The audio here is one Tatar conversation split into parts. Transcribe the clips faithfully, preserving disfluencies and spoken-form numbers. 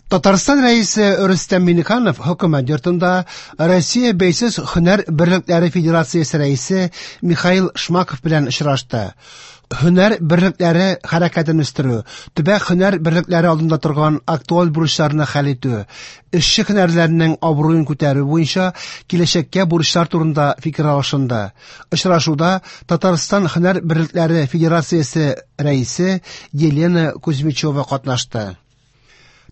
Татарстан Рәисе Рөстәм Миңнеханов хөкүмәт йортында Россия Бәйсез һөнәр берлекләре федерациясе рәисе Михаил Шмаков белән очрашты. Һөнәр берлекләре хәрәкәтен үстерү, төбәк һөнәр берлекләре алдында торган актуаль бурычларны хәл итү, эшче һөнәрләренең абруен күтәрү буенча киләчәккә бурычлар турында фикер алышынды. Очрашуда Татарстан һөнәр берлекләре федерациясе рәисе Елена Кузьмичева катнашты.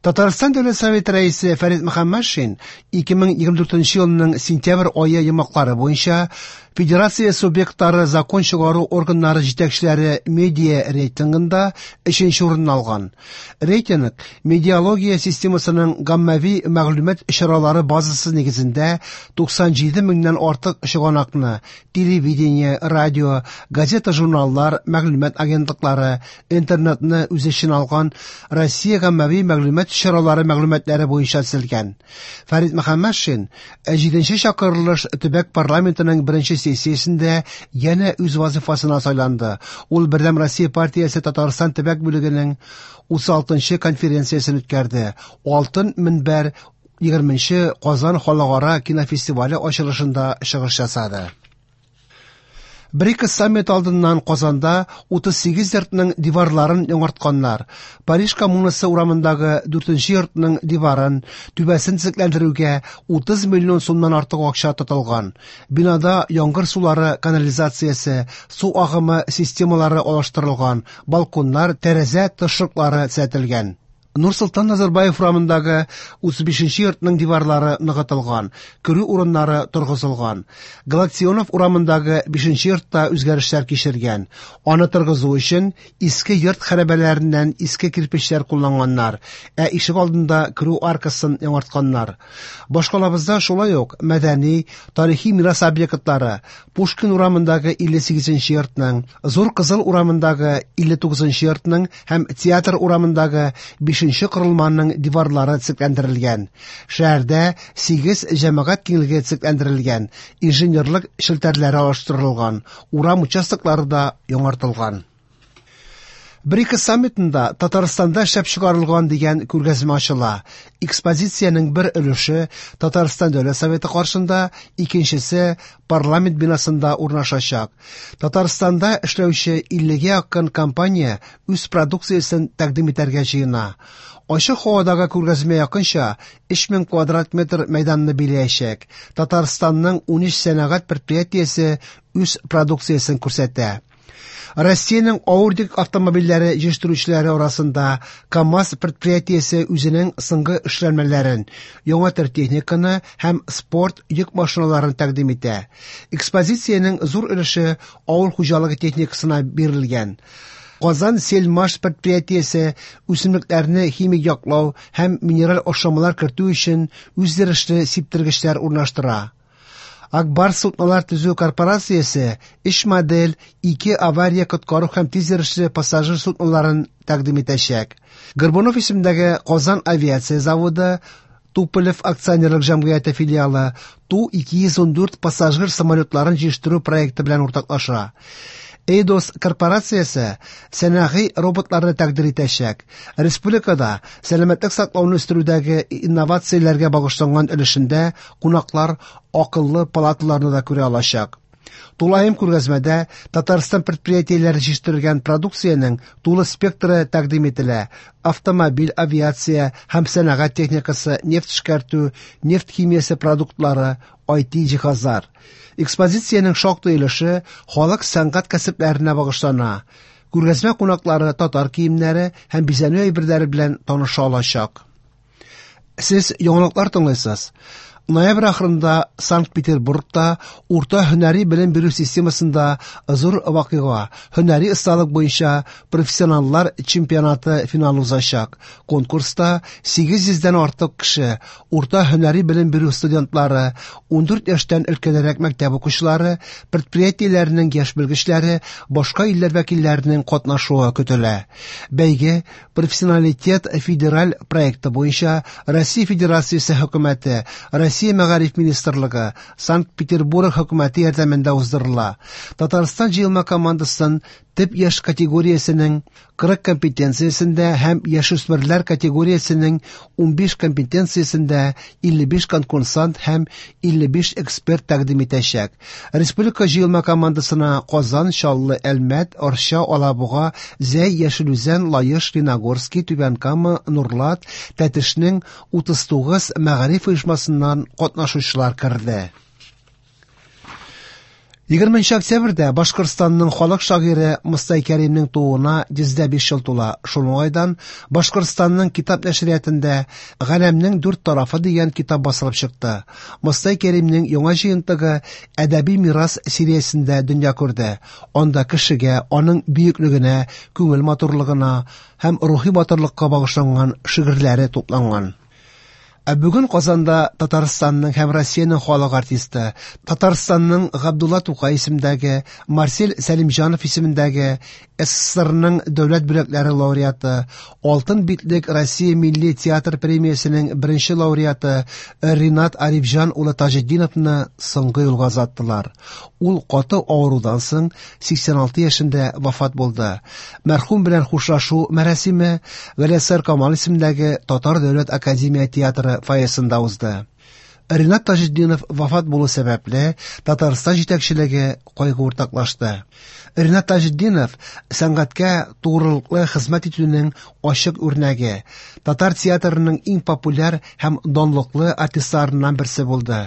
Татарстан Дәүләт Советы рәисе Фәрит Мөхәммәтшин ике мең егерме дүртенче елның сентябрь ае йомгаклары буенча Федерация субъектлары закон чыгару органнары җитәкчеләре медиа рейтингында өченче урынны алган. Рейтинг медиалогия системасының гаммави мәгълүмат чаралары базасы нигезендә туксан җиде меңнән артык чыганакны телевидение, радио, газета-журналлар, мәгълүмат агентлыклары, интернетны үз эченә алган Россия гаммави мәгълүмат чаралары мәгълүматлары буенча төзелгән. Фәрит Мөхәммәтшин җиденче чакырылыш төбәк парламентының беренче сессиясендә янә үз вазифасына сайланды. Ул Бердәм Россия партиясе Татарстан төбәк бүлегенең утыз алтынчы конференциясен үткәрде. Алтын мөнбәр егерменче Казан халыкара кинофестивале ачылышында чыгыш ясады. БРИКС саммит алдыннан Казанда утыз сигез йортның диварларын яңартканнар. Париж коммунасы урамындагы дүртенче йортның диварын түбәсен төзекләндерүгә утыз миллион сумнан артык акча тотылган. Бинада яңгыр сулары канализациясе, су агымы системалары алыштырылган, балконнар, тәрәзә тышлыклары төзәтелгән. Нурсолтан Назарбаев урамындагы утыз бишенче йортның диварлары ныгытылган, керү урыннары торгызылган. Галактионов урамындагы бишенче йортта үзгәрешләр кичергән. Аны торгызу өчен иске йорт хәрабәләреннән иске кирпечләр кулланганнар, ә ишек алдында керү аркасын яңартканнар. Башкалабызда шулай ук мәдәни, тарихи мирас объектлары Пушкин урамындагы илле сигезенче йортның, Зур Кызыл урамындагы илле тугызынчы йортның һәм Театр урамындагы бишенче корылманың диварлары төзекләндерелгән. Шәһәрдә сигез җәмәгать киңлеге төзекләндерелгән, инженерлык челтәрләре алыштырылган, урам участоклары да яңартылган. БРИКС саммитында Татарстанда эшләп чыгарылган дигән күргәзмә ачыла. Экспозициянең бер өлеше Татарстан Дәүләт Советы каршында, икенчесе парламент бинасында урнашачак. Татарстанда эшләүче иллегә якын компания үз продукциясен тәкъдим итәргә җыена. Ачык һавадагы күргәзмә якынча өч мең квадрат метр мәйданны биләячәк. Татарстанның унөч сәнәгать предприятиесе үз продукциясен күрсәтә. Россиянең авыр йөк автомобильләре җитештерүчеләре арасында КАМАЗ предприятиесе үзенең соңгы эшләнмәләрен, яңа төр техниканы һәм спорт йөк машиналарын тәкъдим итә. Экспозициянең зур өлеше авыл хуҗалыгы техникасына бирелгән. Казан Сельмаш предприятиесе үсемлекләрне химик яклау һәм минераль ашламалар кертү өчен үзйөрешле сиптергечләр урнаштыра. Акбар суднолар төзү корпорациясе өч модель, ике авария коткару һәм тиз йөрешле пассажир судноларын тәкъдим итәчәк. Горбунов исемендәге Казан авиация заводы Туполев акционерлык җәмгыяте филиалы Ту ике йөз ун дүрт пассажир самолетларын җитештерү проекты белән уртаклаша. Эйдос корпорациясе сәнәгый роботларны тәкъдир итәчәк. Республикада сәламәтлек саклауны үстерүдәге инновацияләргә багышланган өлешендә кунаклар акыллы палаталарны да күрә алачак. Тулаем күргәзмәдә Татарстан предприятиеләре җитештергән продукциянең тулы спектры тәкъдим ителә. Автомобиль, авиация һәм сәнәгать техникасы, нефть эшкәртү, нефть химиясе продуктлары, ай ти җиһазлар. Экспозициянең шактый өлеше халык сәнгать кәсепләренә багышлана. Күргәзмә кунаклары татар киемнәре һәм бизәнү әйберләре белән таныша алачак. Сез яңалыклар тыңлыйсыз. Ноябрь ахырында Санкт-Петербургта урта һөнәри белем бирү системасында зур вакыйга, һөнәри осталык буенча профессионаллар чемпионаты финалы узачак. Конкурста сигез йөздән артык кеше, урта һөнәри белем бирү студентлары, ундүрт яшьтән өлкәнрәк мәктәп укучылары, предприятиеләрнең яшь белгечләре, башка илләр вәкилләренең катнашуы көтелә. Бәйге Профессионалитет федераль проекты буенча Россия Федерациясе хөкүмәте, Россия Мәгариф Министрлыгы, Санкт-Петербург хөкүмәте ярдәмендә уздырыла. Татарстан җыелма командасын төп яшь категориясенең кырык компетенциясендә һәм яшүсмерләр категориясенең унбиш компетенциясендә илле биш конкурсант һәм илле биш эксперт тәкъдим итәчәк. Республика җыелма командасына Казан, Чаллы, Әлмәт, Арча, Алабуга, Зәй, Яшел Үзән, Лаеш, Лениногорский, Түбән Кама, Нурлат, Тәтешнең утыз тугыз мәгариф оешмасыннан катнашучылар керде. Егерменче октябрьдә Башкортстанның халык шагыйре Мостай Кәримнең тууына йөз дә биш ел тула. Шул уңайдан Башкортстанның китап нәшриятында Галәмнең дүрт тарафы дигән китап басылып чыкты. Мостай Кәримнең яңа җыентыгы Әдәби мирас сериясендә дөнья күрде. Анда кешегә, аның бөеклегенә, күңел матурлыгына һәм рухи батырлыкка багышланган шигырьләре тупланган. Ә бүген Казанда Татарстанның һәм Россиянең халык артисты, Татарстанның Габдулла Тукай исемендәге, Марсель Сәлимҗанов исемендәге СССРның дәүләт бүләкләре лауреаты, Алтын битлек Россия милли театр премиясенең беренче лауреаты Ринат Арифҗан улы Таҗетдиновны соңгы юлга озаттылар. Ул каты авырудан соң сиксән алты яшендә вафат булды. Мәрхүм белән хушлашу мәрасиме Галиәсгар Камал исемендәге Татар дәүләт академия театры фойесында узды. Ринат Таҗетдинов вафат булу сәбәпле Татарстан җитәкчелеге кайгы уртаклашты. Ринат Таҗетдинов сәнгатькә тугрылыклы хезмәт итүнең ачык үрнәге, татар театрының иң популяр һәм данлыклы артистларыннан берсе булды.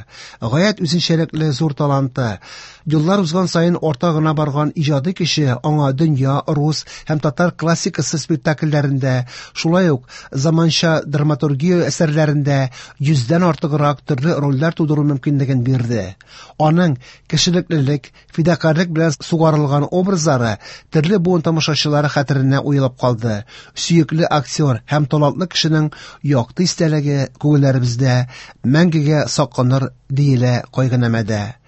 Гаять үзенчәлекле зур таланты, еллар узган саен арта гына барган иҗади кеше аңа дөнья, рус һәм татар классикасы спектакльләрендә, шулай ук заманча драматургия әсәрләрендә йөздән артыграк төрле рольләр тудыру мөмкинлеген бирде. Аның кешелеклелек, фидакарьлек белән сугарылган образлары төрле буын тамашачылары хәтеренә уелып калды. Сөекле актер һәм талантлы кешенең якты истәлеге күңелләребездә мәңгегә сакланыр, диелә кайгынамәдә.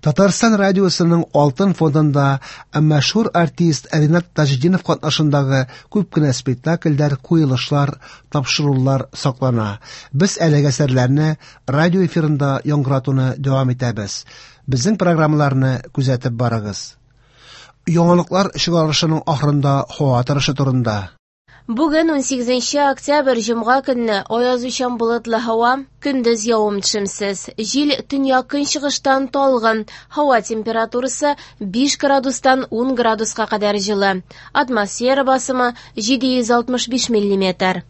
Татарстан радиосының Алтын фондында мәшһүр артист Ринат Таҗетдинов катнашындагы күп кенә спектакльләр, куелышлар, тапшырулар саклана. Без әлеге әсәрләрне радио эфирында яңгыратуны дәвам итәбез. Безнең программаларны күзәтеп барыгыз. Яңалыклар чыгарылышының ахырында һава торышы турында. Бүген унсигезенче октябрь җомга көнне аязучан болытлы һава, көндез явым-төшемсез. Җил төньяк көнчыгыштан талгын. Һава температурасы биш градустан ун градуска кадәр җылы. Атмосфера басымы җиде йөз алтмыш биш миллиметр.